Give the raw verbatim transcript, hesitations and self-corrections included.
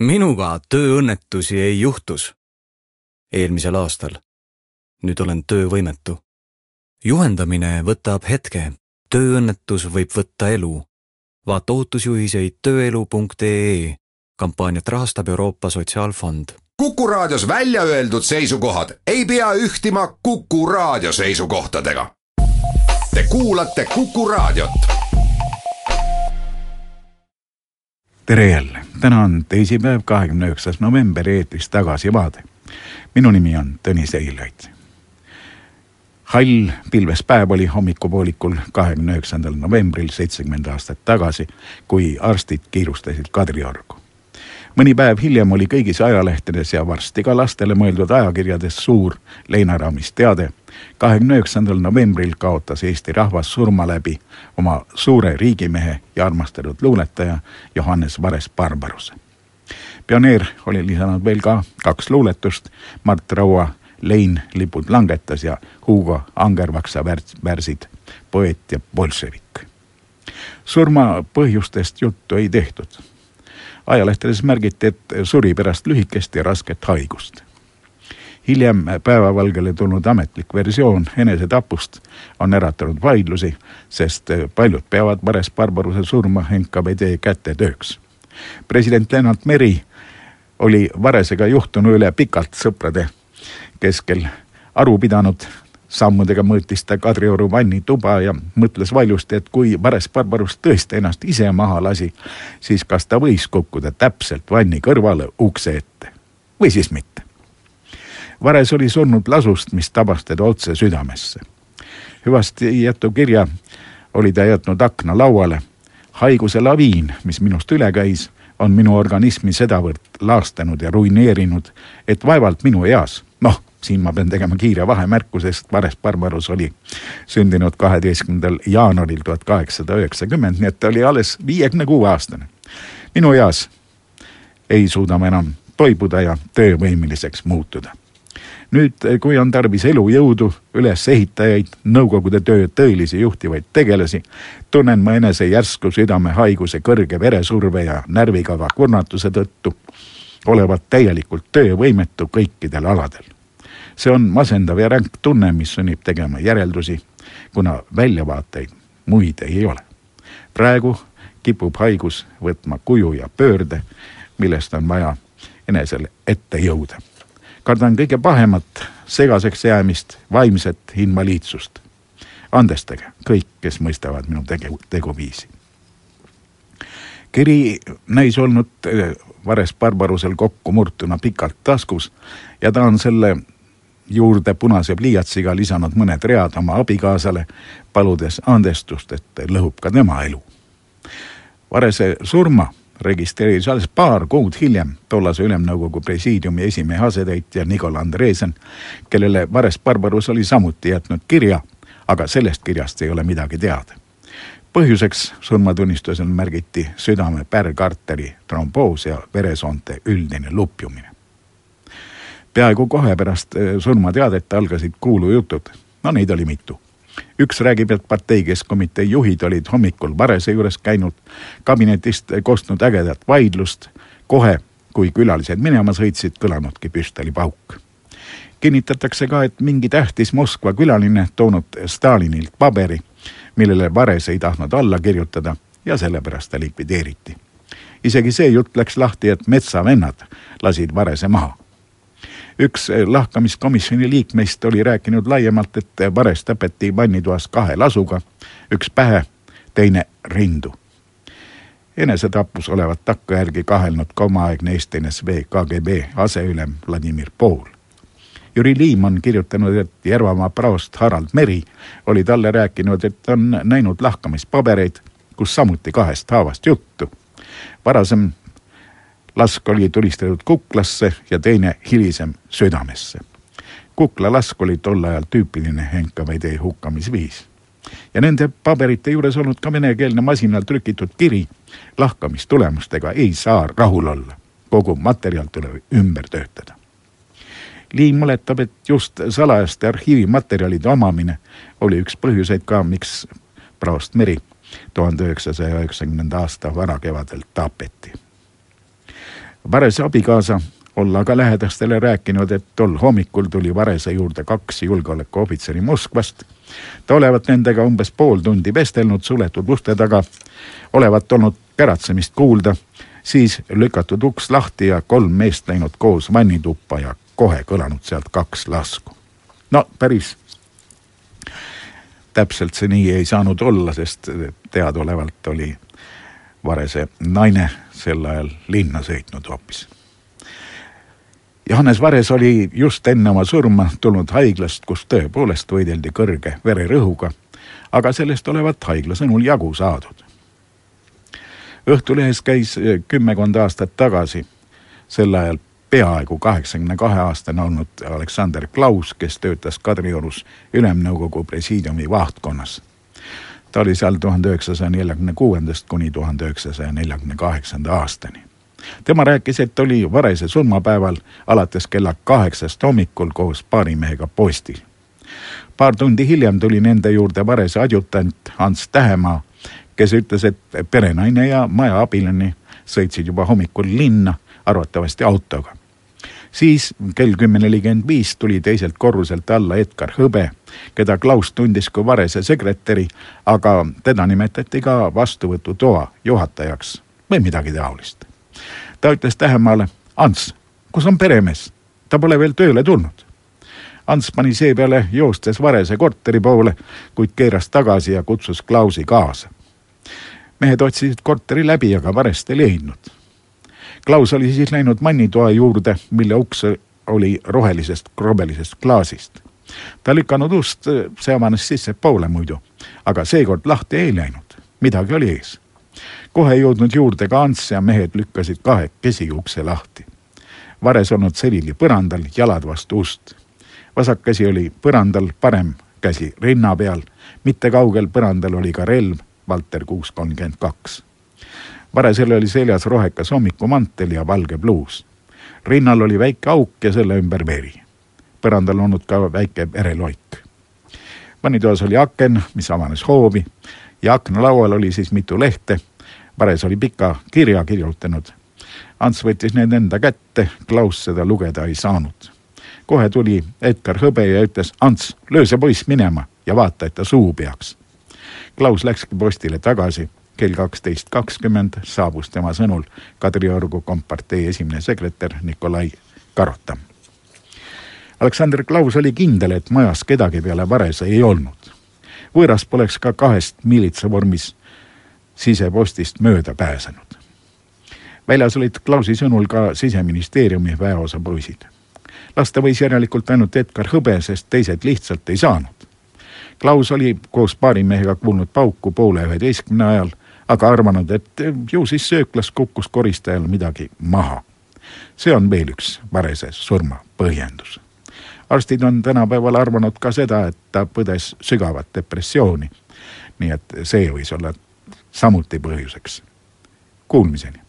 Minuga tööõnnetusi ei juhtus. Eelmisel aastal. Nüüd olen töövõimetu. Juhendamine võtab hetke. Tööõnnetus võib võtta elu. Vaata ootusjuhiseid tööelu punkt ee. Kampaaniat rahastab Euroopa Sotsiaalfond. Kuku Raadios välja öeldud seisukohad ei pea ühtima Kuku Raadio seisukohtadega. Te kuulate Kuku Raadiot. Tere jälle. Täna on teisipäev, kahekümne üheksas november, eetris Tagasi vaade. Minu nimi on Tõnis Eilaid. Hall pilves päev oli hommikupoolikul kahekümne üheksandal novembril seitsekümmend aastat tagasi, kui arstid kiirustasid Kadriorgu. Mõni päev hiljem oli kõigis ajalehtedes ja varsti ka lastele mõeldud ajakirjades suur leinaraamis teade. kahekümne üheksandal novembril kaotas Eesti rahvas surma läbi oma suure riigimehe ja armastatud luuletaja Johannes Vares-Barbaruse. Pioneer oli lisanud veel ka kaks luuletust, Mart Raua Lein lipud langetas ja Hugo Angervaksa värsid Poeet ja bolševik. Surma põhjustest juttu ei tehtud. Ajalehtedes märgiti, et suri pärast lühikest ja rasket haigust. Hiljem päevavalgele tulnud ametlik versioon enesetapust on äratanud vaidlusi, sest paljud peavad Vares-Barbaruse surma N K V D kätetööks. President Lennart Meri oli Varesega juhtunu üle pikalt sõprade keskel aru pidanud. Sammudega mõõtis ta Kadrioru vanni tuba ja mõtles valjusti, et kui Vares-Barbarus tõesti ennast ise maha lasi, siis kas ta võis kukkuda täpselt vanni kõrvale ukse ette või siis mitte. Vares oli surnud lasust, mis tabas teda otse südamesse. Hüvasti jätu kirja oli ta jätnud akna lauale. Haiguse laviin, mis minust üle käis, on minu organismi sedavõrd laastanud ja ruineerinud, et vaevalt minu eas, noh, siin ma pean tegema kiire vahemärku, sest Vares-Barbarus oli sündinud kaheteistkümnendal jaanuaril tuhat kaheksasada üheksakümmend, nii et ta oli alles viiekümne kuue aastane. Minu eas ei suuda ma enam toibuda ja töövõimiliseks muutuda. Nüüd, kui on tarvis elujõudu, üles ehitajaid, nõukogude töö tõelisi juhtivaid tegelasi, tunnen ma enese järsku südamehaiguse kõrge veresurve ja närvikava kurnatuse tõttu olevat täielikult töövõimetu kõikidel aladel. See on masendav ja ränk tunne, mis sunnib tegema järeldusi, kuna väljavaateid muid ei ole. Praegu kipub haigus võtma kuju ja pöörde, millest on vaja enesel ette jõuda. Kardan kõige pahemat, segaseks jäämist, vaimset invaliidsust. Andestage kõik, kes mõistavad minu tegu, teguviisi. Kiri näis olnud Vares-Barbarusel kokku murtuna pikalt taskus ja ta on selle juurde punase pliiatsiga lisanud mõned read oma abikaasale, paludes andestust, et lõhub ka tema elu. Varese surma registreeris alles paar kuud hiljem tollase Ülemnõukogu presiidiumi esimehe asetäitja Nikola Andresen, kellele Vares-Barbarus oli samuti jätnud kirja, aga sellest kirjast ei ole midagi teada. Põhjuseks surmatunnistusel märgiti südame pärgarteri tromboos ja veresoonte üldine lupjumine. Peaaegu kohe pärast surmateadet algasid kuulujutud, no neid oli mitu. Üks räägib, et parteikeskomitee juhid olid hommikul Varese juures käinud, kabinetist kostnud ägedat vaidlust, kohe, kui külalised minema sõitsid, kõlanudki püstoli pauk. Kinnitatakse ka, et mingi tähtis Moskva külaline toonud Stalinilt paberi, millele Vares ei tahtnud alla kirjutada ja sellepärast ta likvideeriti. Isegi see jutt läks lahti, et metsavennad lasid Varese maha. Üks lahkamiskomisjoni liikmeist oli rääkinud laiemalt, et Vares tapeti vannitoas kahe lasuga, üks pähe, teine rindu. Enesetapus olevat takka järgi kahelnud ka omaaegne Eesti N S V K G B aseülem Vladimir Pool. Jüri Liim on kirjutanud, et Järvamaa praost Harald Meri oli talle rääkinud, et on näinud lahkamispabereid, kus samuti kahest haavast juttu. Varasem lask oli tulistatud kuklasse ja teine hilisem südamesse. Kukla lask oli tol ajal tüüpiline N K V D hukkamisviis. Ja nende paberite juures olnud ka venekeelne masinal trükitud kiri, lahkamistulemustega ei saa rahul olla. Kogu materjal tuleb ümber töötada. Liin mõletab, et just salajaste arhiivimaterjalide omamine oli üks põhjuseid ka, miks praost Meri tuhande üheksasaja üheksakümnenda aasta varakevadel tapeti. Varese abikaasa olla aga lähedastele rääkinud, et tol hommikul tuli Varese juurde kaks julgeolekuohvitseri Moskvast. Ta olevat nendega umbes pool tundi vestelnud suletud uste taga, olevat olnud käratsemist kuulda, siis lükatud uks lahti ja kolm meest läinud koos vannituppa ja kohe kõlanud sealt kaks lasku. No päris täpselt see nii ei saanud olla, sest teadaolevalt oli Varese naine sel ajal linna sõitnud hoopis. Johannes Vares oli just enne oma surma tulnud haiglast, kus tõepoolest võideldi kõrge vererõhuga, aga sellest olevat haigla sõnul jagu saadud. Õhtulehes käis kümmekond aastat tagasi, sel ajal peaaegu kaheksakümne kahe aastane olnud Aleksander Klaus, kes töötas Kadriorus Ülemnõukogu presiidiumi vahtkonnas. Ta oli seal tuhande üheksasaja neljakümne kuuendast kuni tuhande üheksasaja neljakümne kaheksanda aastani. Tema rääkis, et oli Varese surmapäeval alates kella kaheksast hommikul koos paarimehega postil. Paar tundi hiljem tuli nende juurde Varese adjutant Hans Tähemaa, kes ütles, et perenaine ja maja abiline sõitsid juba hommikul linna, arvatavasti autoga. Siis kell kümme nelikümmend viis tuli teiselt korruselt alla Edgar Hõbe, keda Klaus tundis kui Varese sekretäri, aga teda nimetati ka vastuvõtutoa juhatajaks või midagi taolist. Ta ütles Tähemaale, Ants, kus on peremees? Ta pole veel tööle tulnud. Ants pani seepeale joostes Varese korteri poole, kuid keeras tagasi ja kutsus Klausi kaasa. Mehed otsisid korteri läbi, aga Varest ei leidnud. Klaus oli siis läinud mannitoa juurde, mille uks oli rohelisest krobelisest klaasist. Ta lükanud ust, see avanes sisse poole muidu, aga seekord lahti ei läinud. Midagi oli ees. Kohe jõudnud juurde ka Ants ja mehed lükkasid kahe kesi ukse lahti. Vares olnud selili põrandal, jalad vastu ust. Vasak käsi oli põrandal, parem käsi rinna peal. Mitte kaugel põrandal oli ka relv, Valter kuus kolmkümmend kaks. Varesel oli seljas rohekas hommikumantel ja valge bluus. Rinnal oli väike auk ja selle ümber veri. Põrandal olnud ka väike vereloik. Vannitoas oli aken, mis avanes hoovi ja aknalaual oli siis mitu lehte. Vares oli pika kirja kirjutanud. Ants võttis need enda kätte, Klaus seda lugeda ei saanud. Kohe tuli Edgar Hõbe ja ütles, Ants, löö see poiss minema ja vaata, et ta suu peaks. Klaus läkski postile tagasi. Kell kaksteist kakskümmend saabus tema sõnul Kadriorgu kompartei esimene sekretär Nikolai Karotam. Aleksander Klaus oli kindel, et majas kedagi peale Varese ei olnud. Võõras poleks ka kahest miilitsa vormis sisepostist mööda pääsenud. Väljas olid Klausi sõnul ka siseministeeriumi väeosa poisid. Lasta võis järelikult ainult Edgar Hõbe, sest teised lihtsalt ei saanud. Klaus oli koos paarimehega kuulnud pauku poole üheteistkümne ajal, aga arvanud, et ju siis sööklas kukkus koristajal midagi maha. See on veel üks Varese surma põhjendus. Arstid on tänapäeval arvanud ka seda, et ta põdes sügavat depressiooni. Nii et see võis olla samuti põhjuseks. Kuulmiseni.